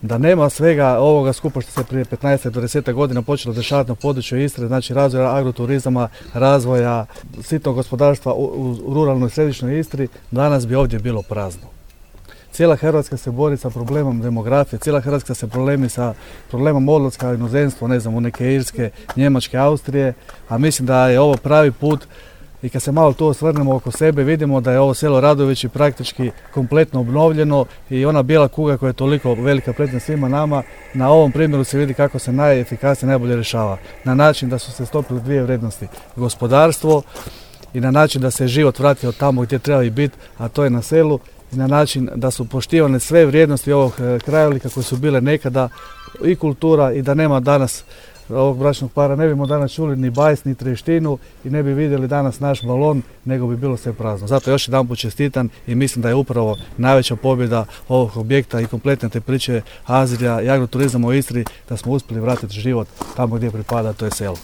Da nema svega ovoga skupa što se prije 15 do 10 godina počelo dešavati na području Istre, znači razvoja agroturizama, razvoja sitnog gospodarstva u ruralnoj i središnjoj Istri, danas bi ovdje bilo prazno. Cijela Hrvatska se bori sa problemom demografije, cijela Hrvatska se sa problemom odlaska u inozemstvo, ne znam, u neke Irske, Njemačke, Austrije, a mislim da je ovo pravi put. I kad se malo tu osvrnemo oko sebe, vidimo da je ovo selo Radovići praktički kompletno obnovljeno i ona bijela kuga koja je toliko velika prednost svima nama, na ovom primjeru se vidi kako se najefikasnije, najbolje rješava. Na način da su se stopili dvije vrijednosti, gospodarstvo i na način da se život vratio tamo gdje treba i biti, a to je na selu, i na način da su poštivane sve vrijednosti ovog krajolika koje su bile nekada i kultura i da nema danas ovog bračnog para, ne bimo danas čuli ni bajs, ni treštinu i ne bi vidjeli danas naš balon, nego bi bilo sve prazno. Zato još jedanput čestitam i mislim da je upravo najveća pobjeda ovog objekta i kompletne te priče Azrija i agroturizama u Istri, da smo uspjeli vratiti život tamo gdje pripada, to je selo.